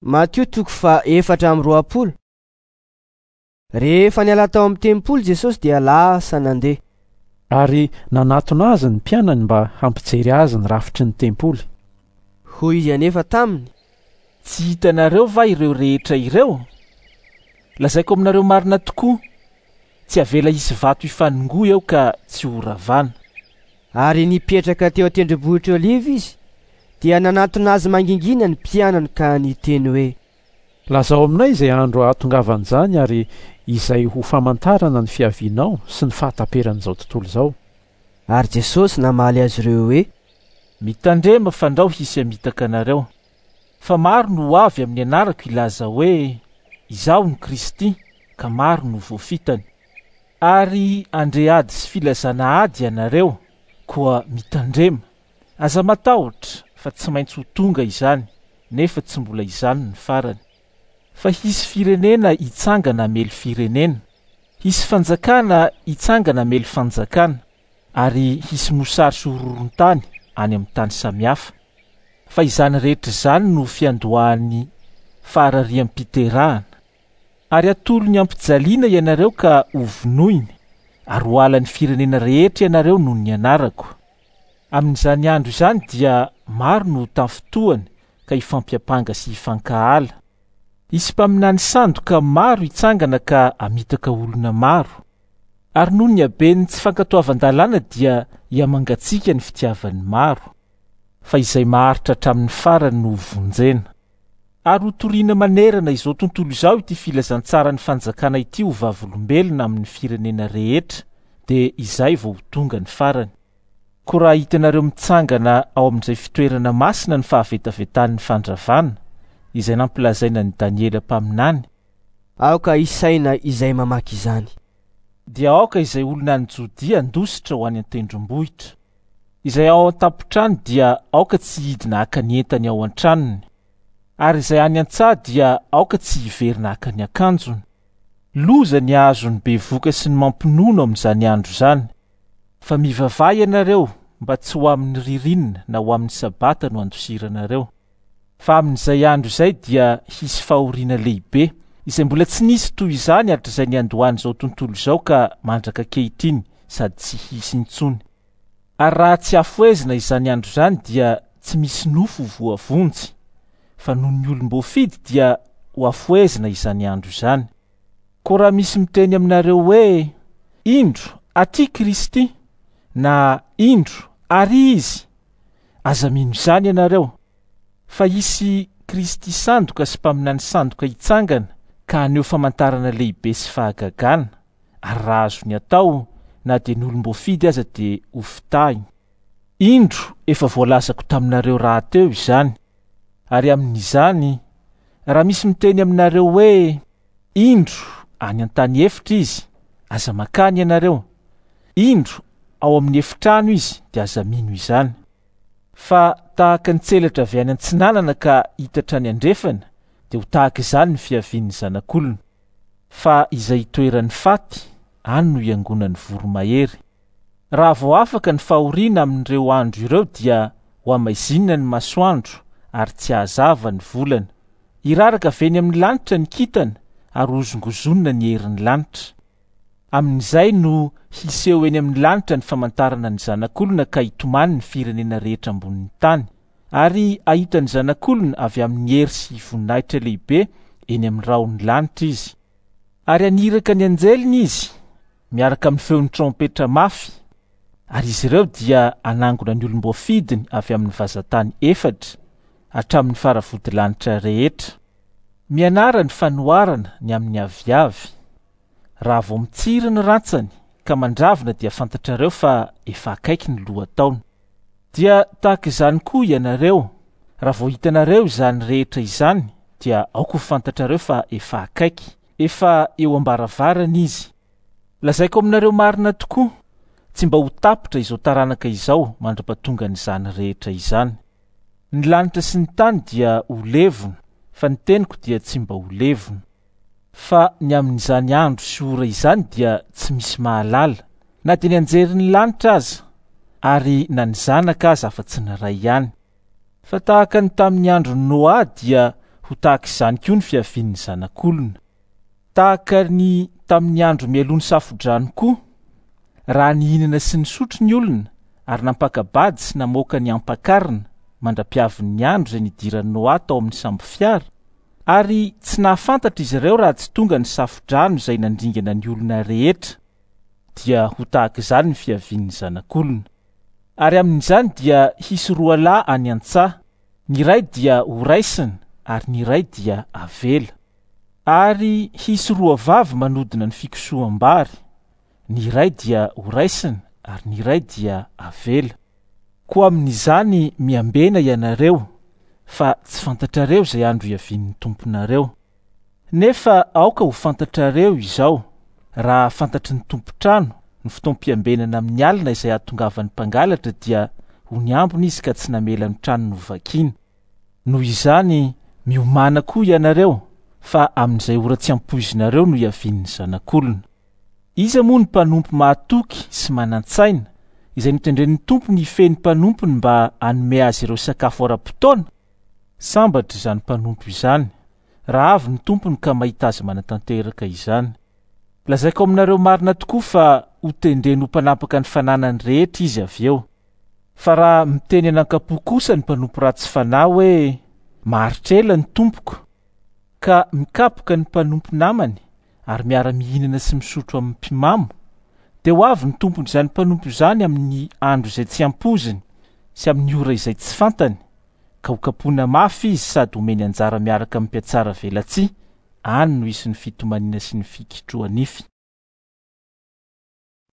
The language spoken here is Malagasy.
Matio toko faha 24. Rehefa niala tao amin'ny tempoly Jesosy dia lasa nandeha. Ary nanatona azy ny mpianany mba hampijery azy ny rafitry ny tempoly. Hoy izy anefa taminy. Tsy hitanareo va ireo rehetra ireo? Lazaiko aminareo marina tokoa, tsy avela hisy vato hifanongoa eo ka tsy horavana. Ary nipetraka teo an-tendrombohitr'i Oliva izy, dia nanatona azy mangingina ny mpianany ka niteny hoe. Lazao aminay izay andro hahatongavan'izany ary izay ho famantarana ny fiavianao sy ny fahataperan'izao tontolo izao. Ary Jesosy namaly azy ireo hoe. Mitandrema fandrao hisy hamitaka anareo. Fa maro no ho avy amin'ny anarako hilaza hoe, Izaho no Kristy, ka maro no voafitany. Ary handre ady sy filazana ady ianareo, koa mitandrema. Aza matahotra, fa tsy maintsy ho tonga izany, nefa tsy mbola izany ny farany. Fa hisy firenena hitsangana hamely firenena, hisy fanjakana hitsangana hamely fanjakana, ary hisy mosary sy horohoron-tany any amin'ny tany samihafa. Fa izany rehetra izany no fiandohan'ny faharariam-piterahana. Ary hatolony hampijaliana ianareo ka hovonoiny, ary ho halan'ny firenena rehetra ianareo noho ny anarako. Amin'izany andro izany dia maro no ho tafintohana ka hifampiampanga sy hifankahala. Hisy mpaminany sandoka maro hitsangana ka hamitaka olona maro. Ary noho ny haben'ny tsy fankatoavan-dalàna dia hihamangatsiaka ny fitiavan'ny maro. Fa izay maharitra hatramin'ny farany no hovonjena. Ary hotorina manerana izao tontolo izao ity filazantsaran'ny fanjakana ity ho vavolombelona amin'ny firenena rehetra, dia izay vao ho tonga ny farany. Koa raha hitanareo mitsangana ao amin'izay fitoerana masina ny fahavetavetan'ny fandravana, izay nampilazaina an'i Daniela mpaminany, Aoka hisaina izay mamaky izany. Dia aoka izay olona any Jodia handositra ho any an-tendrombohitra. Izay ao an-tampon-trano dia aoka tsy hidina haka ny entany ao an-tranony. Ary izay any an-tsaha dia aoka tsy hiverina haka ny akanjony. Loza ny hahazo ny bevoka sy ny mampinono amin'izany andro izany. Fa mivavaha ianareo mba tsy ho amin'ny ririnina na ho amin'ny sabata no handosiranareo. Fa amin'izay andro izay dia hisy fahoriana lehibe, izay mbola tsy nisy toy izany hatrizay niandohan'izao tontolo izao ka mandraka ankehitriny sady tsy hisy intsony. Ary raha tsy hafohezina izany andro izany dia tsy misy nofo ho voavonjy, fa noho ny olom-boafidy dia ho hafohezina izany andro izany. Koa raha misy miteny aminareo hoe, Indro, aty Kristy, na Indro, ary Izy, aza mino izany ianareo, fa hisy Kristy sandoka sy mpaminany sandoka hitsangana ka haneho famantarana lehibe sy fahagagana, ary raha azony atao, na dia ny olom-boafidy aza dia hofitahiny. Indro, efa voalazako taminareo rahateo izany. Ary amin'izany, raha misy miteny aminareo hoe, Indro, any an-tany efitra izy, aza mankany ianareo. Indro, ao amin'ny efitrano izy, dia aza mino izany. Fa tahaka ny tselatra avy any antsinanana ka hitatra any andrefana, dia ho tahaka izany ny fiavian'ny Zanak'olona. Fa izay itoeran'ny faty, any no iangonan'ny voromahery. Raha vao afaka ny fahoriana amin'ireo andro ireo dia ho hamaizinina ny masoandro ary tsy hahazava ny volana. Hiraraka avy eny amin'ny lanitra ny kintana ary hozongozonina ny herin'ny lanitra. Amin'izay no hiseho eny amin'ny lanitra ny famantarana ny Zanak'olona ka hitomany ny firenena rehetra ambonin'ny tany. Ary hahita ny Zanak'olona avy amin'ny hery sy voninahitra lehibe eny amin'ny rahon'ny lanitra izy. Ary haniraka ny anjeliny izy miaraka amin'ny feon'ny trompetra mafy, ary izy ireo dia hanangona ny olom-boafidiny avy amin'ny vazantany efatra, hatramin'ny faravodilanitra rehetra. Mianara ny fanoharana ny amin'ny aviavy. Raha vao mitsiry ny rantsany ka mandravina dia fantatrareo fa efa akaiky ny lohataona. Dia tahaka izany koa ianareo, raha vao hitanareo izany rehetra izany dia aoka ho fantatrareo fa efa akaiky, efa eo am-baravarana izy. Lazaiko aminareo marina tokoa, tsy mba ho tapitra izao taranaka izao mandra-pahatongan'izany rehetra izany. Ny lanitra sy ny tany dia ho levona, fa ny teniko dia tsy mba ho levona. Fa ny amin'izany andro sy ora izany dia tsy misy mahalala, na dia ny anjerin'ny lanitra aza, ary na ny Zanaka aza afa-tsy ny Ray ihany. Fa tahaka ny tamin'ny andron'i Noa dia ho tahaka izany koa ny fiavian'ny Zanak'olona. Tahaka ny tamin'ny andro mialoha ny safodrano koa, raha nihinana sy nisotro ny olona ary nampaka-bady sy namoaka ny ampakarina mandra-piavin'ny andro izay nidiran'i Noa tao amin'ny sambofiara, ary tsy nahafantatra izy ireo raha tsy tonga ny safodrano izay nandringana ny olona rehetra, dia ho tahaka izany ny fiavian'ny Zanak'olona. Ary amin'izany dia hisy roa lahy any an-tsaha, ny iray dia horaisina ary ny iray dia avela. Ary hisy roa vavy manodina ny fikosoham-bary, ny iray dia horaisina ary ny iray dia avela. Koa amin'izany miambena ianareo, fa tsy fantatrareo izay andro hiavian'ny Tomponareo. Nefa aoka ho fantatrareo izao, raha fantatry ny tompon-trano ny fotoam-piambenana amin'ny alina izay hahatongavan'ny mpangalatra dia ho niambina izy ka tsy namela ny tranony hovakiana. Noho izany miomàna koa ianareo, fa amin'izay ora tsy ampoizinareo no hiavian'ny Zanak'olona. Iza moa no mpanompo mahatoky sy manan-tsaina, izay notendren'ny tompony hifehy ny mpanompony mba hanome azy ireo sakafo ara-potoana? Sambatra izany mpanompo izany, raha avy ny tompony ka mahita azy manatanteraka izany. Lazaiko aminareo marina tokoa fa hotendreny ho mpanapaka ny fananany rehetra izy avy eo. Fa raha miteny an'ankapo kosa ny mpanompo ratsy fanahy hoe, Maharitra ela ny tompoko, ka mikapoka ny mpanompo namany ary miara-mihinana sy misotro amin'ny mpimamo, dia ho avy ny tompon'izany mpanompo izany amin'ny andro izay tsy ampoiziny sy amin'ny ora izay tsy fantany, ka hokapohina mafy izy sady homeny anjara miaraka amin'ny mpihatsara velatsihy, any no hisy ny fitomaniana sy ny fikitroha-nify.